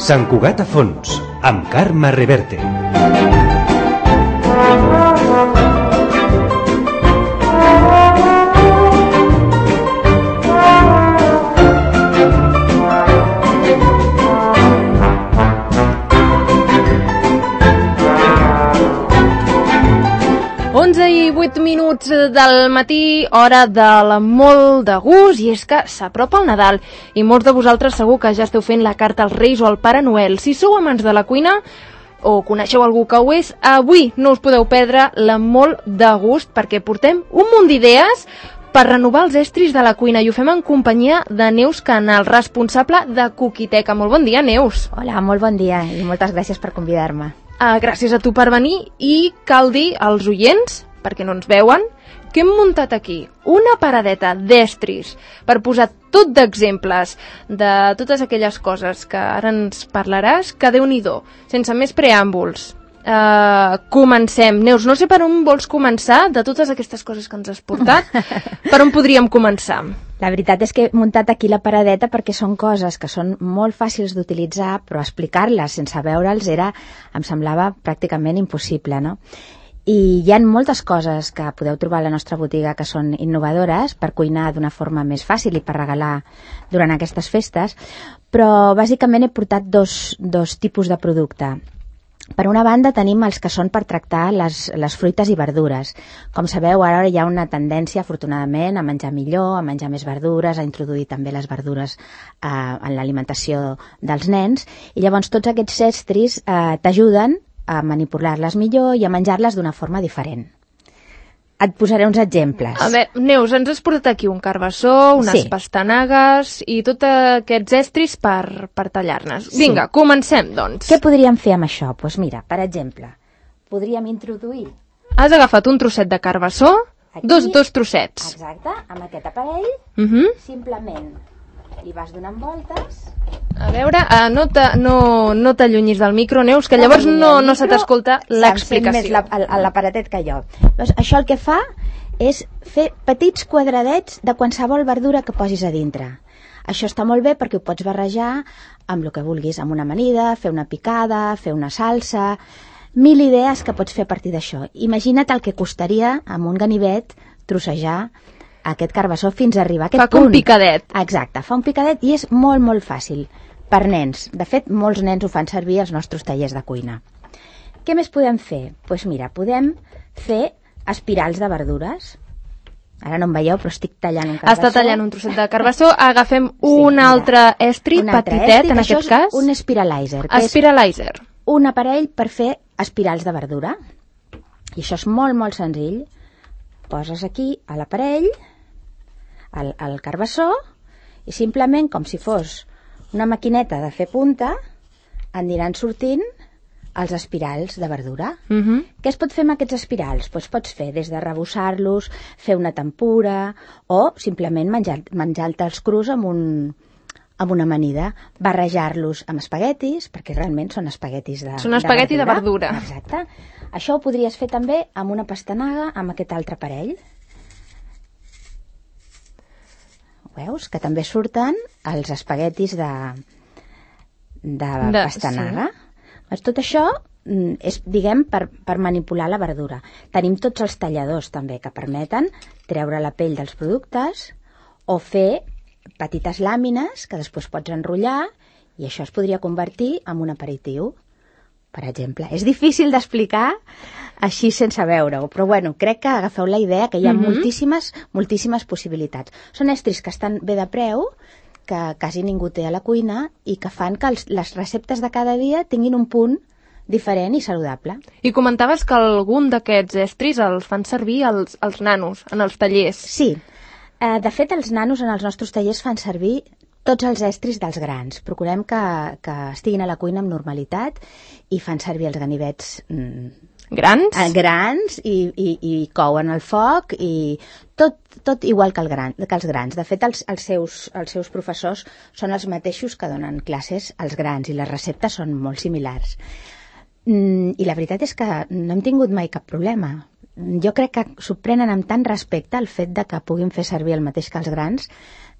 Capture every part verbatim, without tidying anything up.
Sant Cugat a fons, amb Carme Reverte. onze i vuit minuts del matí, hora del molt de gust, i és que s'apropa el Nadal i molts de vosaltres segur que ja esteu fent la carta als Reis o al Pare Noel. Si sou amants de la cuina o coneixeu algú que ho és, avui no us podeu perdre la molt de gust, perquè portem un munt d'idees per renovar els estris de la cuina, i ho fem en companyia de Neus Canal, responsable de Cookiteca. Molt bon dia, Neus. Hola, molt bon dia i moltes gràcies per convidar-me. Uh, gràcies a tu per venir, i cal dir als oients, perquè no ens veuen, que hem muntat aquí una paradeta d'estris per posar tot d'exemples de totes aquelles coses que ara ens parlaràs, que Déu-n'hi-do, sense més preàmbuls. Uh, comencem. Neus, no sé per on vols començar, de totes aquestes coses que ens has portat, per on podríem començar? La veritat és que he muntat aquí la paradeta perquè són coses que són molt fàcils d'utilitzar, però explicar-les sense veure'ls era, em semblava pràcticament impossible, no? I hi ha moltes coses que podeu trobar a la nostra botiga que són innovadores per cuinar d'una forma més fàcil i per regalar durant aquestes festes, però bàsicament he portat dos, dos tipus de producte. Per una banda tenim els que són per tractar les, les fruites i verdures. Com sabeu, ara hi ha una tendència, afortunadament, a menjar millor, a menjar més verdures, a introduir també les verdures eh, en l'alimentació dels nens, i llavors tots aquests estris eh, t'ajuden a manipular-les millor i a menjar-les d'una forma diferent. Et posaré uns exemples. A veure, Neus, ens has portat aquí un carbassó, unes sí. pastanagues i tots aquests estris per, per tallar-nes. Sí. Vinga, comencem, doncs. Què podríem fer amb això? Doncs pues mira, per exemple, podríem introduir... Has agafat un trosset de carbassó, aquí, dos, dos trossets. Exacte, amb aquest aparell, uh -huh. simplement li vas donant voltes... A veure, uh, no, ta, no, no t'allunyis del micro, Neus, que llavors no, no se t'escolta l'explicació. Més la, l'aparatet que jo. Doncs això el que fa és fer petits quadradets de qualsevol verdura que posis a dintre. Això està molt bé perquè ho pots barrejar amb el que vulguis, amb una amanida, fer una picada, fer una salsa... Mil idees que pots fer a partir d'això. Imagina't el que costaria amb un ganivet trossejar aquest carbassó fins a arribar a aquest punt. Fa com un picadet. Exacte, fa un picadet i és molt, molt fàcil. Per nens. De fet, molts nens ho fan servir als nostres tallers de cuina. Què més podem fer? Doncs pues mira, podem fer espirals de verdures. Ara no em veieu, però estic tallant un carbassó. Està tallant un trosset de carbassó. Agafem sí, un mira, altre estri, un altre petitet, estri, en aquest és cas. Un espiralizer. Espiralizer. Un aparell per fer espirals de verdura. I això és molt, molt senzill. Poses aquí a l'aparell el, el carbassó i simplement, com si fos una maquineta de fer punta, aniran sortint els espirals de verdura. Uh -huh. Què es pot fer amb aquests espirals? Pues pots fer des de rebossar-los, fer una tempura o simplement menjar-te'ls menjar crus amb, un, amb una amanida, barrejar-los amb espaguetis, perquè realment són espaguetis de, són espagueti de verdura. de verdura. Exacte. Això ho podries fer també amb una pastanaga, amb aquest altre aparell. Veus? Que també surten els espaguetis de, de, de pastanaga. Sí. Tot això és, diguem, per, per manipular la verdura. Tenim tots els talladors també que permeten treure la pell dels productes o fer petites làmines que després pots enrotllar i això es podria convertir en un aperitiu, per exemple. És difícil d'explicar així sense veure-ho, però bueno, crec que agafeu la idea que hi ha mm-hmm. moltíssimes, moltíssimes possibilitats. Són estris que estan bé de preu, que quasi ningú té a la cuina i que fan que els, les receptes de cada dia tinguin un punt diferent i saludable. I comentaves que algun d'aquests estris els fan servir els, els nanos en els tallers. Sí. Eh, de fet, els nanos en els nostres tallers fan servir tots els estris dels grans. Procurem que, que estiguin a la cuina amb normalitat i fan servir els ganivets mm, grans, eh, grans i, i, i couen al foc i tot, tot igual que, el gran, que els grans. De fet, els, els, seus, els seus professors són els mateixos que donen classes als grans i les receptes són molt similars. Mm, I la veritat és que no hem tingut mai cap problema. Jo crec que s'ho prenen amb tant respecte el fet de que puguin fer servir el mateix que els grans,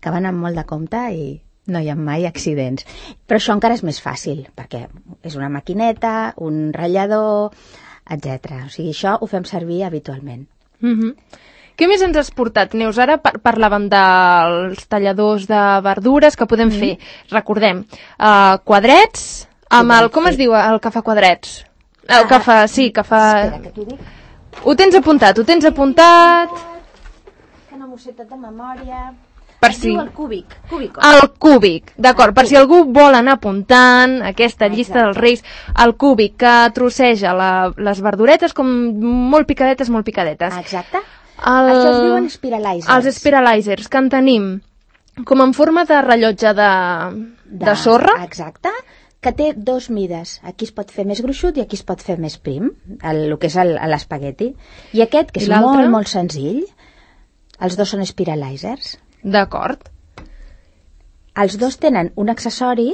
que van amb molt de compte i, no hi ha mai accidents. Però això encara és més fàcil, perquè és una maquineta, un ratllador, etcètera. O sigui, això ho fem servir habitualment. Mm-hmm. Què més ens has portat, Neus? Ara par parlàvem dels talladors de verdures que podem mm. fer. Recordem, uh, quadrets, amb el... Com es diu el que fa quadrets? El ah, que fa... Sí, que fa... Espera, que t'ho dic. Ho tens apuntat, ho tens apuntat... Que no m'ho sé tot de memòria... Per si... el cúbic. Cúbico. El cúbic, d'acord. Per si algú vol anar apuntant aquesta llista dels Reis, el cúbic que trosseja la, les verduretes com molt picadetes, molt picadetes. Exacte. El... Això es diuen spiralizers. Els spiralizers, que en tenim com en forma de rellotge de, de, de sorra. Exacte, que té dos mides. Aquí es pot fer més gruixut i aquí es pot fer més prim, el, el que és l'espagueti. I aquest, que és molt, molt senzill, els dos són spiralizers. D'acord. Els dos tenen un accessori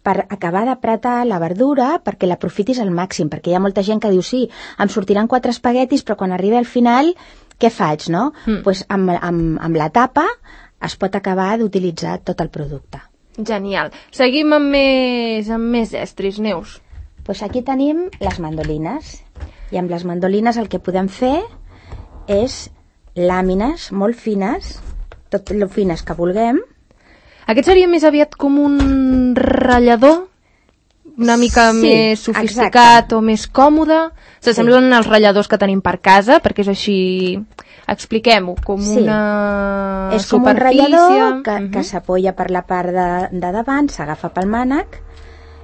per acabar d'apretar la verdura perquè l'aprofitis al màxim, perquè hi ha molta gent que diu sí, em sortiran quatre espaguetis, però quan arribi al final, què faig, no? Doncs mm. pues amb, amb, amb la tapa es pot acabar d'utilitzar tot el producte. Genial. Seguim amb més, amb més estris, Neus. Pues aquí tenim les mandolines, i amb les mandolines el que podem fer és làmines molt fines, tot lo fines que vulguem. Aquest seria més aviat com un ratllador, una mica sí, més sofisticat exacte. O més còmode. S'assemblen sí. als ratlladors que tenim per casa, perquè és així, expliquem-ho, com sí. una és superfície. Com un ratllador que, uh-huh. que s'apoya per la part de, de davant, s'agafa pel mànec,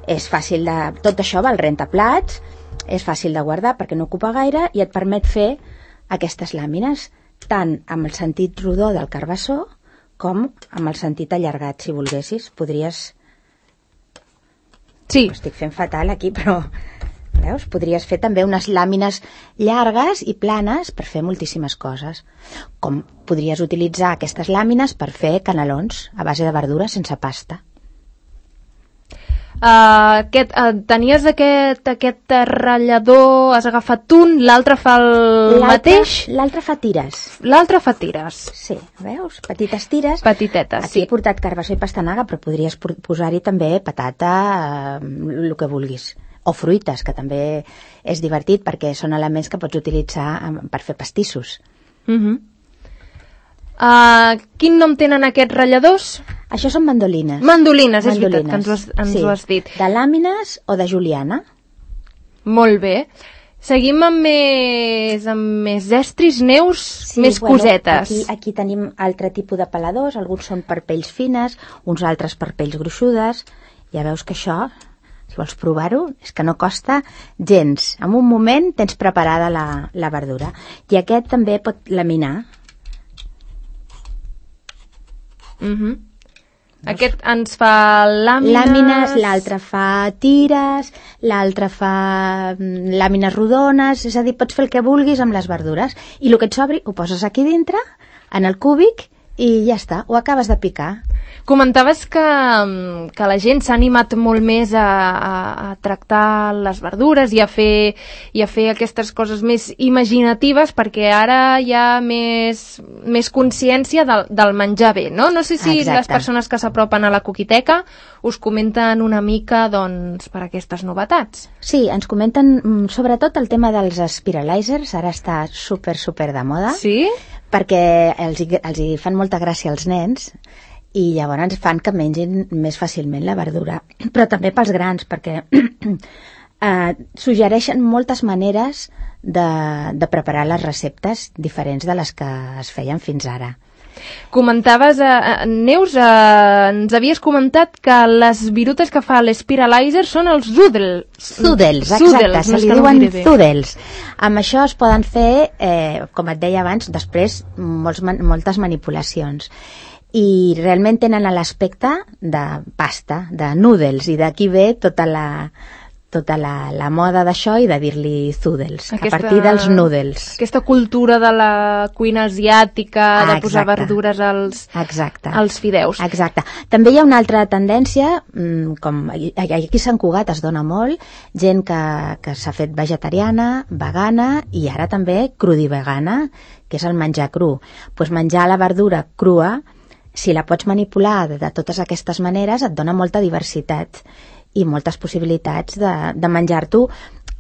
és fàcil de... Tot això va al rentaplats, és fàcil de guardar perquè no ocupa gaire i et permet fer aquestes làmines, tant amb el sentit rodó del carbassó com amb el sentit allargat, si volguessis. Podries... Sí. Ho estic fent fatal aquí, però... Veus? Podries fer també unes làmines llargues i planes per fer moltíssimes coses. Com podries utilitzar aquestes làmines per fer canelons a base de verdura sense pasta. Uh, aquest, uh, tenies aquest, aquest ratllador, has agafat un, l'altre fa el mateix? L'altre fa tires. L'altre fa tires. Sí, veus? Petites tires. Petitetes, Aquí sí. he portat carbassó i pastanaga, però podries posar-hi també patata, eh, el que vulguis. O fruites, que també és divertit perquè són elements que pots utilitzar per fer pastissos. Mhm. Uh Uh, quin nom tenen aquests ratlladors? Això són mandolines. Mandolines, és mandolines. Veritat que ens ho has, ens sí. ho has dit. De làmines o de juliana. Molt bé. Seguim amb més, amb més estris, Neus, sí, més bueno, cosetes. Aquí, aquí tenim altre tipus de peladors, alguns són per pells fines, uns altres per pells gruixudes. Ja veus que això, si vols provar-ho, és que no costa gens. En un moment tens preparada la, la verdura. I aquest també pot laminar. Uh-huh. Aquest ens fa làmines... Làmines, l'altre fa tires, l'altre fa làmines rodones, és a dir, pots fer el que vulguis amb les verdures. I el que et sobri ho poses aquí dintre, en el cúbic, i ja està, ho acabes de picar. Comentaves que, que la gent s'ha animat molt més a, a, a tractar les verdures i a, fer, i a fer aquestes coses més imaginatives perquè ara hi ha més, més consciència del, del menjar bé, no? No sé si Exacte. Les persones que s'apropen a la coquiteca us comenten una mica doncs, per aquestes novetats. Sí, ens comenten sobretot el tema dels spiralizers, ara està super, super de moda. Sí? Perquè els, els hi fan molta gràcia als nens i llavors fan que mengin més fàcilment la verdura, però també pels grans, perquè eh, suggereixen moltes maneres de, de preparar les receptes diferents de les que es feien fins ara. Comentaves, eh, Neus, eh, ens havies comentat que les virutes que fa l'Spiralizer són els zoodles. Zoodles, exacte, se li diuen zoodles. Amb això es poden fer, eh, com et deia abans, després molts, moltes manipulacions. I realment tenen l'aspecte de pasta, de noodles, i d'aquí ve tota la, tota la, la moda d'això i de dir-li zoodles, aquesta, a partir dels noodles. Aquesta cultura de la cuina asiàtica, ah, de posar verdures als, als fideus. Exacte. També hi ha una altra tendència, com aquí a Sant Cugat es dona molt, gent que, que s'ha fet vegetariana, vegana i ara també crudivegana, que és el menjar cru. Pues menjar la verdura crua si la pots manipular de, de totes aquestes maneres, et dona molta diversitat i moltes possibilitats de, de menjar-t'ho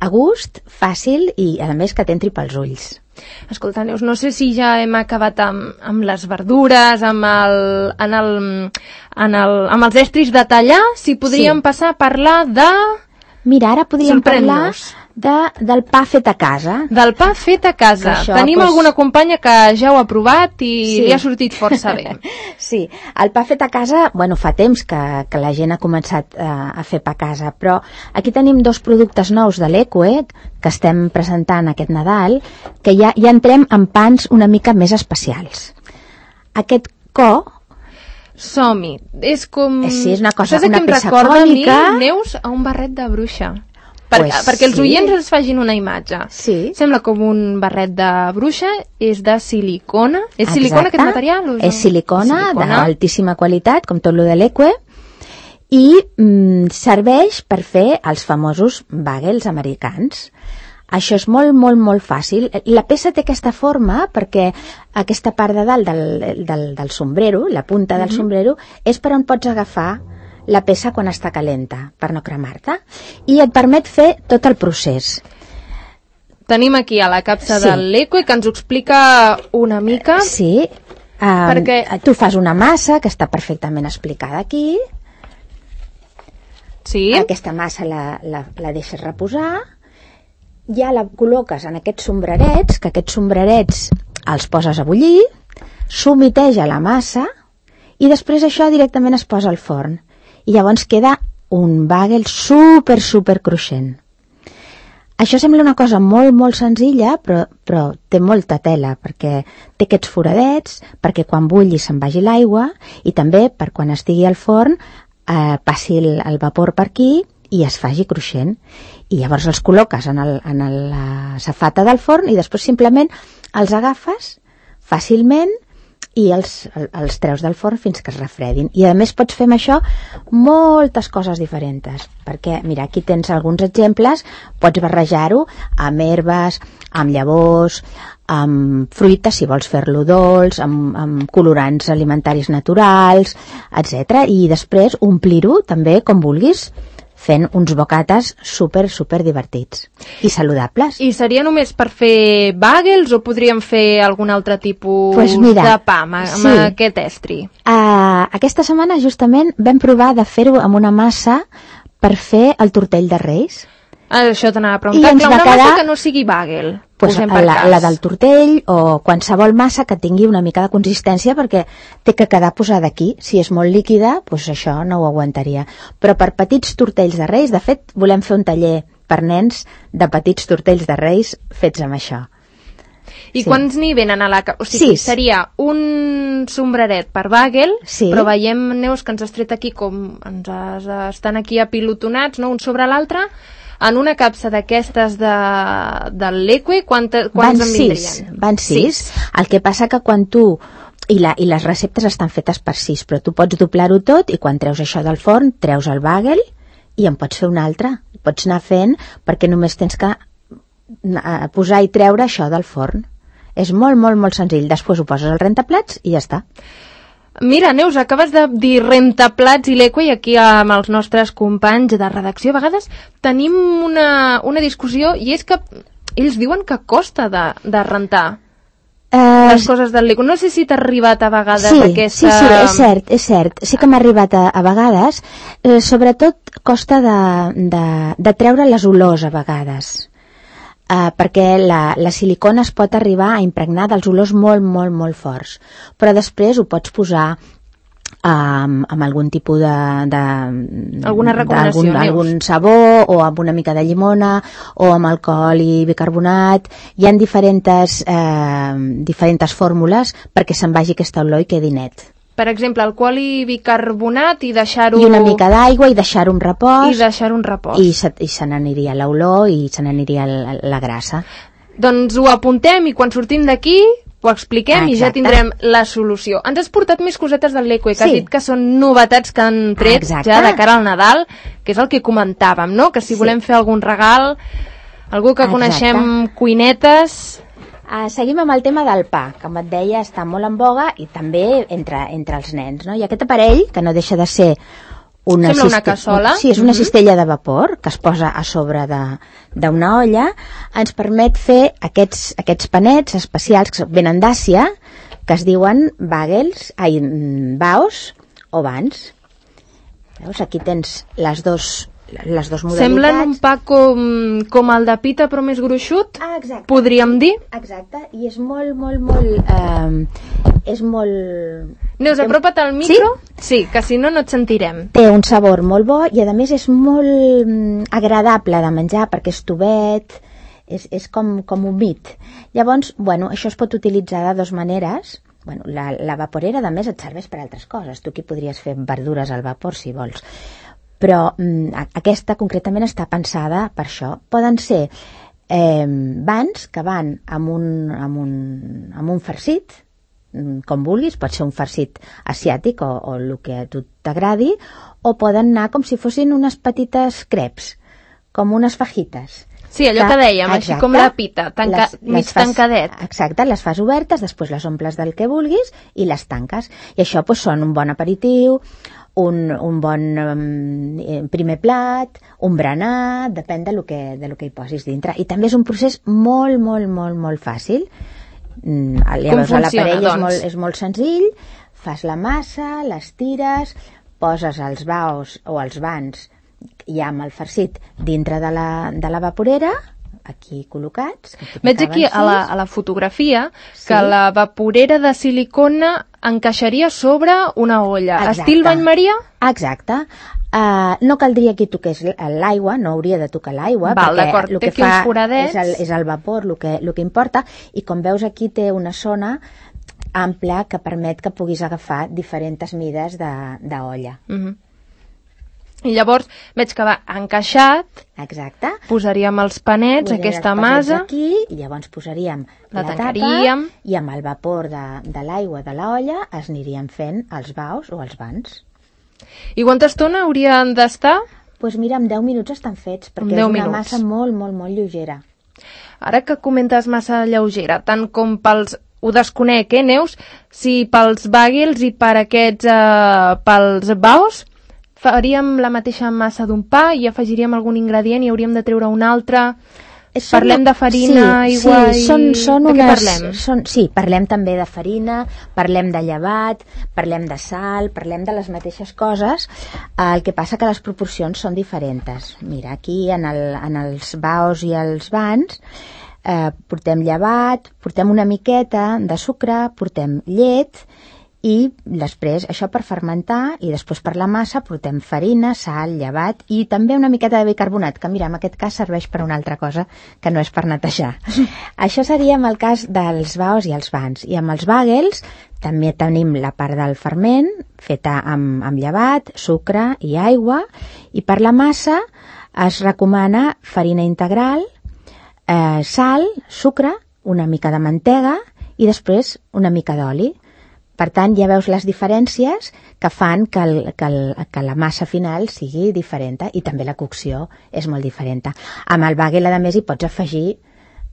a gust, fàcil i, a més, que t'entri pels ulls. Escolta, Neus, no sé si ja hem acabat amb, amb les verdures, amb, el, en el, en el, amb els estris de tallar, si podríem sí. passar a parlar de... Mira, ara podríem parlar de, del pa fet a casa. Del pa fet a casa. Això, Tenim pues... alguna companya que ja ho ha provat i sí. li ha sortit força bé. Sí, el pa fet a casa, bueno, fa temps que, que la gent ha començat a, a fer pa a casa, però aquí tenim dos productes nous de l'Eqüe que estem presentant aquest Nadal, que ja, ja entrem en pans una mica més especials. Aquest co... Som-hi. És com... Sí, és una cosa, Això és una que em peça recorda cònica. A mi, Neus, a un barret de bruixa. Per, pues perquè els sí. oients es facin una imatge. Sí. Sembla com un barret de bruixa, és de silicona. És Exacte. silicona aquest material? És silicona, silicona d'altíssima qualitat, com tot lo de l'Eqüe, i mm, serveix per fer els famosos bagels americans. Això és molt, molt, molt fàcil. La peça té aquesta forma perquè aquesta part de dalt del, del, del sombrero, la punta del mm-hmm. sombrero, és per on pots agafar la peça quan està calenta, per no cremar-te, i et permet fer tot el procés. Tenim aquí a la capsa sí. de l'Eqüe que ens ho explica una mica. Sí, um, perquè... tu fas una massa que està perfectament explicada aquí. Sí. Aquesta massa la, la, la deixes reposar, ja la col·loques en aquests sombrerets, que aquests sombrerets els poses a bullir, s'humiteja la massa i després això directament es posa al forn. I llavors queda un bagel super, super cruixent. Això sembla una cosa molt, molt senzilla, però, però té molta tela, perquè té aquests foradets, perquè quan bulli se'n vagi l'aigua, i també per quan estigui al forn eh, passi el, el vapor per aquí i es faci cruixent. I llavors els col·loques en, el, en el, la safata del forn i després simplement els agafes fàcilment i els, els treus del forn fins que es refredin. I a més pots fer amb això moltes coses diferents, perquè mira, aquí tens alguns exemples, pots barrejar-ho amb herbes, amb llavors, amb fruites si vols fer-lo dolç, amb, amb colorants alimentaris naturals, etcètera. I després omplir-ho també com vulguis, fent uns bocates super, super divertits i saludables. I seria només per fer bagels o podríem fer algun altre tipus pues mira, de pa amb, amb sí. aquest estri? Uh, aquesta setmana justament vam provar de fer-ho amb una massa per fer el tortell de Reis. Ah, això t'anava a preguntar, clar, una quedar... massa que no sigui bagel. Pues la, la del tortell o qualsevol massa que tingui una mica de consistència, perquè té que quedar posada aquí. Si és molt líquida, pues això no ho aguantaria. Però per petits tortells de Reis, de fet, volem fer un taller per nens de petits tortells de Reis fets amb això. I sí. quants n'hi venen a la... O sigui, Sis. Seria un sombreret per bagel, sí. però veiem, Neus, que ens has tret aquí com ens has, estan aquí apilotonats, no?, un sobre l'altre. En una capsa d'aquestes de, de l'Eqüe, quants en vindrien? Van sis. sis. El que passa que quan tu... I, la, I les receptes estan fetes per sis, però tu pots doblar-ho tot i quan treus això del forn, treus el bagel i en pots fer un altre. Pots anar fent perquè només tens que posar i treure això del forn. És molt, molt, molt senzill. Després ho poses al rentaplats i ja està. Mira, Neus, acabes de dir rentaplats i l'Eqüe, i aquí amb els nostres companys de redacció a vegades tenim una, una discussió, i és que ells diuen que costa de, de rentar uh, les coses del l'Eqüe. No sé si t'ha arribat a vegades sí, aquesta... Sí, sí, és cert, és cert. Sí que m'ha arribat a, a vegades. Eh, sobretot costa de, de, de treure les olors a vegades. Uh, perquè la, la silicona es pot arribar a impregnar dels olors molt, molt, molt forts. Però després ho pots posar um, amb algun tipus de... de alguna recomanació, algun, algun sabó, o amb una mica de llimona, o amb alcohol i bicarbonat. Hi ha diferents, eh, diferents fórmules perquè se'n vagi aquesta olor i quedi net. Per exemple, alcohol i bicarbonat i deixar-ho... I una mica d'aigua i deixar-ho en repòs. I deixar-ho en repòs. I se, i se n'aniria l'olor i se n'aniria la, la grassa. Doncs ho apuntem i quan sortim d'aquí ho expliquem. Exacte. I ja tindrem la solució. Ens has portat més cosetes del l'Eqüe, que sí. has dit que són novetats que han tret Exacte. Ja de cara al Nadal, que és el que comentàvem, no? Que si sí. volem fer algun regal, algú que Exacte. Coneixem cuinetes... Uh, seguim amb el tema del pa, que com et deia està molt en boga i també entre, entre els nens, no? I aquest aparell, que no deixa de ser una, Sembla una cassola. Sí, és una cistella de vapor que es posa a sobre d'una olla, ens permet fer aquests, aquests panets especials que venen d'Àsia, que es diuen bagels, ai, baos o bans. Veus, aquí tens les dos les dues modalitats. Semblen un pa com, com el de pita però més gruixut, ah, exacte, podríem dir. Exacte, i és molt, molt, molt eh, és molt... Neus, apropa't al micro. Sí? Sí, que si no no et sentirem. Té un sabor molt bo i a més és molt mm, agradable de menjar perquè és tovet, és, és com, com humit. Llavors, bueno, això es pot utilitzar de dues maneres. Bueno, la, la vaporera, a més, et serveix per altres coses. Tu aquí podries fer verdures al vapor, si vols. Però mm, aquesta concretament està pensada per això. Poden ser eh, bans que van amb un, amb un, amb un farcit, com vulguis, pot ser un farcit asiàtic o, o el que a tu t'agradi, o poden anar com si fossin unes petites creps, com unes fajites. Sí, allò que, que dèiem, exacte, així com la pita, tanca, les, mig les fas, tancadet. Exacte, les fas obertes, després les omples del que vulguis i les tanques. I això doncs, són un bon aperitiu, un, un bon um, primer plat, un berenar, depèn de lo que, de lo que hi posis dintre. I també és un procés molt, molt, molt, molt fàcil. Mm, llavors l'aparell doncs? és, molt, és molt senzill, fas la massa, les tires, poses els baos o els bans ja amb el farcit dintre de la, de la vaporera, aquí col·locats. Veig aquí a la, a la fotografia sí, que la vaporera de silicona encaixaria sobre una olla. Exacte. Estil bany Maria? Exacte. Uh, no caldria que toqués l'aigua, no hauria de tocar l'aigua, perquè el que fa és el, és el vapor el que, el que importa, i com veus aquí té una zona ampla que permet que puguis agafar diferents mides d'olla. Uh-huh. I llavors veig que va encaixat. Exacte. Posaríem els panets, posaríem aquesta els masa. Aquí, i llavors posaríem la, la tapa i amb el vapor de, de l'aigua de l'olla es anirien fent els baus o els bans. I quanta estona haurien d'estar? Doncs pues mira, en deu minuts estan fets, perquè és una minuts. massa molt, molt, molt lleugera. Ara que comentes massa lleugera, tant com pels... Ho desconec, eh, Neus? Si pels bagels i per aquests... Eh, pels baus faríem la mateixa massa d'un pa i afegiríem algun ingredient i hauríem de treure un altre... Són, parlem de farina, sí, aigua sí, i... Són, són de unes, què parlem? Són, sí, parlem també de farina, parlem de llevat, parlem de sal, parlem de les mateixes coses, el que passa que les proporcions són diferents. Mira, aquí en, el, en els baos i els bans eh, portem llevat, portem una miqueta de sucre, portem llet, i després això per fermentar, i després per la massa portem farina, sal, llevat i també una miqueta de bicarbonat, que mira, en aquest cas serveix per una altra cosa que no és per netejar. Això seria en el cas dels baos i els bans. I amb els bagels també tenim la part del ferment feta amb, amb llevat, sucre i aigua, i per la massa es recomana farina integral, eh, sal, sucre, una mica de mantega i després una mica d'oli. Per tant, ja veus les diferències que fan que, el, que, el, que la massa final sigui diferent, i també la cocció és molt diferent. Amb el bagel, a més, hi pots afegir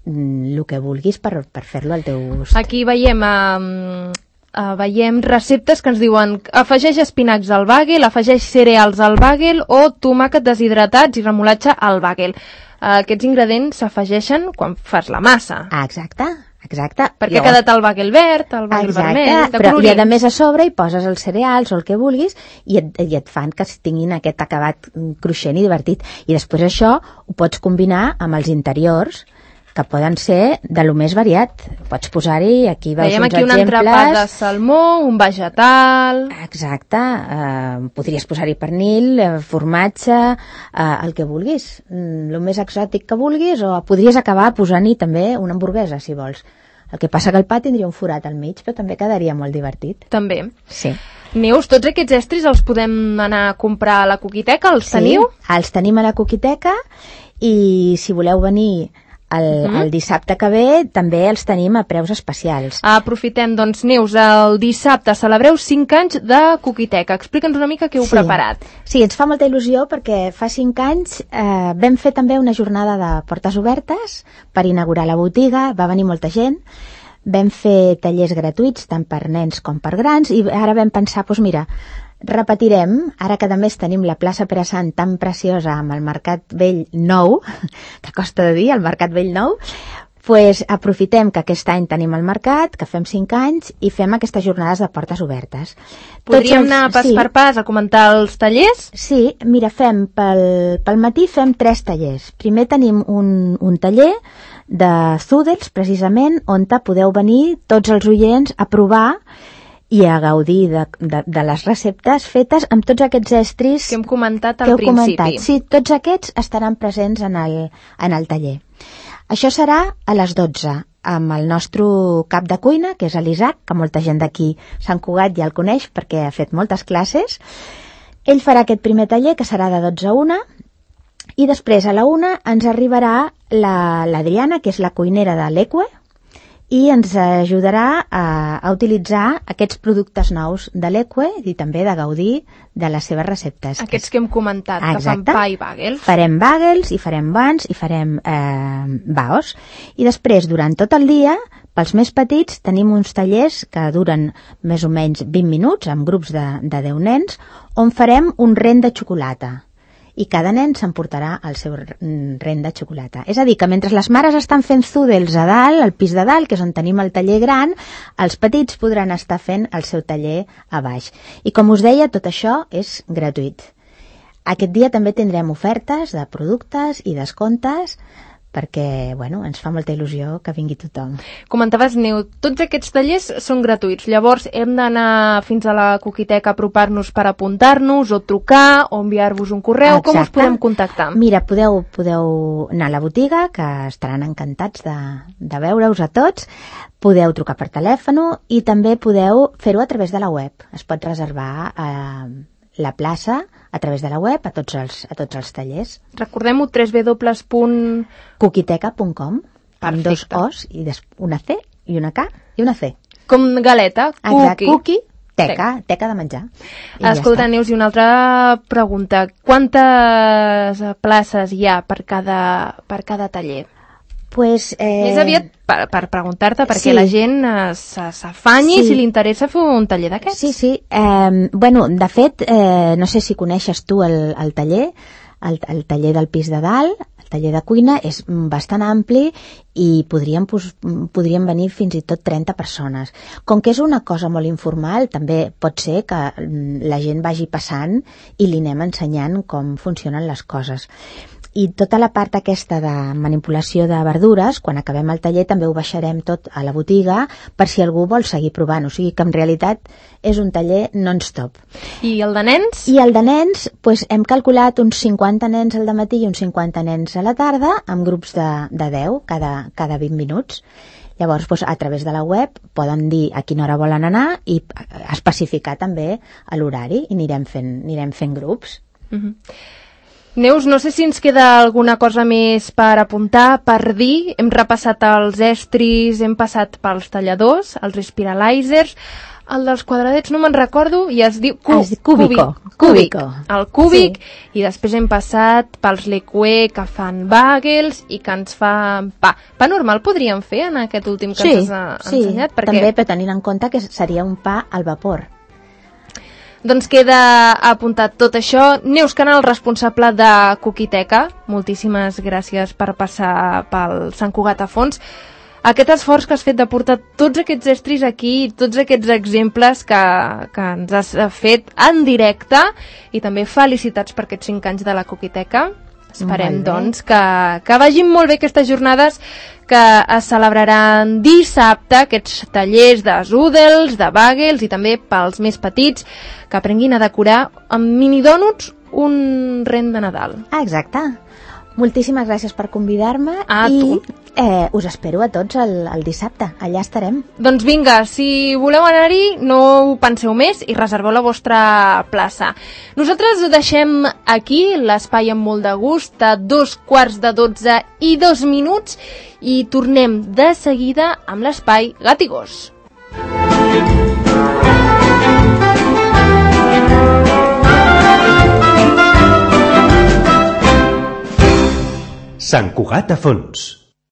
mm, el que vulguis per, per fer-lo al teu gust. Aquí veiem, uh, uh, veiem receptes que ens diuen afegeix espinacs al bagel, afegeix cereals al bagel o tomàquet deshidratats i remolatge al bagel. Uh, aquests ingredients s'afegeixen quan fas la massa. Ah, exacte. Exacte. Perquè ha quedat el bagel verd, el bagel exacte, vermell, de però colorins. I a més a sobre hi poses els cereals o el que vulguis i et, i et fan que tinguin aquest acabat cruixent i divertit. I després això ho pots combinar amb els interiors, que poden ser de lo més variat. Pots posar-hi, aquí veus Veiem uns aquí exemples. un entrepat de salmó, un vegetal... Exacte. Eh, podries posar-hi pernil, eh, formatge, eh, el que vulguis. Mm, el més exòtic que vulguis, o podries acabar posant-hi també una hamburguesa, si vols. El que passa que el pa tindria un forat al mig, però també quedaria molt divertit. També. Sí. Neus, tots aquests estris els podem anar a comprar a la Coquiteca? Els sí, teniu? Els tenim a la Coquiteca, i si voleu venir El, uh -huh. el dissabte que ve també els tenim a preus especials. Aprofitem, doncs, Neus, el dissabte celebreu cinc anys de Coquiteca. Explica'ns una mica què heu sí. preparat. Sí, ens fa molta il·lusió perquè fa cinc anys eh, vam fer també una jornada de portes obertes per inaugurar la botiga, va venir molta gent. Vam fer tallers gratuïts tant per nens com per grans i ara vam pensar, doncs mira, repetirem, ara que a més tenim la plaça Pere Sant tan preciosa amb el Mercat Vell nou, que costa de dir, el Mercat Vell nou, pues aprofitem que aquest any tenim el mercat, que fem cinc anys i fem aquestes jornades de portes obertes. Podríem els, anar pas sí. per pas a comentar els tallers? Sí, mira, fem pel, pel matí fem tres tallers. Primer tenim un, un taller de Zoodles, precisament, on podeu venir tots els oients a provar i a gaudir de, de, de les receptes fetes amb tots aquests estris que hem comentat al principi. Comentat. Sí, tots aquests estaran presents en el, en el taller. Això serà a les dotze, amb el nostre cap de cuina, que és l'Isaac, que molta gent d'aquí Sant Cugat ja el coneix perquè ha fet moltes classes. Ell farà aquest primer taller, que serà de dotze a una, i després a la una ens arribarà l'Adriana, la, que és la cuinera de l'Eque, i ens ajudarà a, a utilitzar aquests productes nous de l'Eque i també de gaudir de les seves receptes. Aquests que hem comentat, ah, que fan pa i bagels. Farem bagels i farem buns i farem eh, baos. I després, durant tot el dia, pels més petits, tenim uns tallers que duren més o menys vint minuts, amb grups de, de deu nens, on farem un rent de xocolata. I cada nen s'emportarà el seu rent de xocolata. És a dir, que mentre les mares estan fent zoodles a dalt, al pis de dalt, que és on tenim el taller gran, els petits podran estar fent el seu taller a baix. I com us deia, tot això és gratuït. Aquest dia també tindrem ofertes de productes i descomptes perquè, bueno, ens fa molta il·lusió que vingui tothom. Comentaves, Neu, tots aquests tallers són gratuïts, llavors hem d'anar fins a la Coquiteca a apropar-nos per apuntar-nos o trucar o enviar-vos un correu. Exacte. Com us podem contactar? Mira, podeu, podeu anar a la botiga, que estaran encantats de, de veure-us a tots, podeu trucar per telèfon i també podeu fer-ho a través de la web. Es pot reservar a la plaça a través de la web a tots els, a tots els tallers. Recordem-ho, w w w punt coquiteca punt com, amb dos O's i una C i una K i una C. Com galeta, cookie. Cookie, teca, teca de menjar. Escolta, ja Neus, i una altra pregunta. Quantes places hi ha per cada, per cada taller? Pues, eh... Més aviat per, per preguntar-te perquè sí. la gent s'afanyi sí. si li interessa fer un taller d'aquests. Sí, sí. Eh, bueno, de fet, eh, no sé si coneixes tu el, el taller, el, el taller del pis de dalt, el taller de cuina, és bastant ampli i podríem, pues, podríem venir fins i tot trenta persones. Com que és una cosa molt informal, també pot ser que la gent vagi passant i li anem ensenyant com funcionen les coses. I tota la part aquesta de manipulació de verdures, quan acabem el taller també ho baixarem tot a la botiga per si algú vol seguir provant. O sigui que en realitat és un taller non-stop. I el de nens? I el de nens, pues, hem calculat uns cinquanta nens al dematí i uns cinquanta nens a la tarda, amb grups de, de deu cada, cada vint minuts. Llavors, doncs, a través de la web poden dir a quina hora volen anar i especificar també l'horari i anirem fent, anirem fent grups. Uh-huh. Neus, no sé si ens queda alguna cosa més per apuntar, per dir. Hem repassat els estris, hem passat pels talladors, els spiralizers, el dels quadradets no me'n recordo i es diu cu es cúbico. Cúbico. El cúbic, sí. I després hem passat pels l'Eque que fan bagels i que ens fan pa. Pa normal podríem fer en aquest últim que sí, ens has sí, ensenyat? Sí, també, però tenint en compte que seria un pa al vapor. Doncs queda apuntat tot això. Neus Canal, responsable de Coquiteca, moltíssimes gràcies per passar pel Sant Cugat a fons. Aquest esforç que has fet de portar tots aquests estris aquí, tots aquests exemples que, que ens has fet en directe i també felicitats per aquests cinc anys de la Coquiteca. Esperem, doncs, que, que vagin molt bé aquestes jornades que es celebraran dissabte, aquests tallers de zoodles, de bagels i també pels més petits que aprenguin a decorar amb mini dònuts un rent de Nadal. Ah, exacte. Moltíssimes gràcies per convidar-me A i tu. eh, us espero a tots el, el dissabte. Allà estarem. Doncs vinga, si voleu anar-hi, no ho penseu més i reserveu la vostra plaça. Nosaltres ho deixem aquí, l'espai amb molt de gust, a dos quarts de dotze i dos minuts, i tornem de seguida amb l'espai Gat i Gos. Sant Cugat a fons.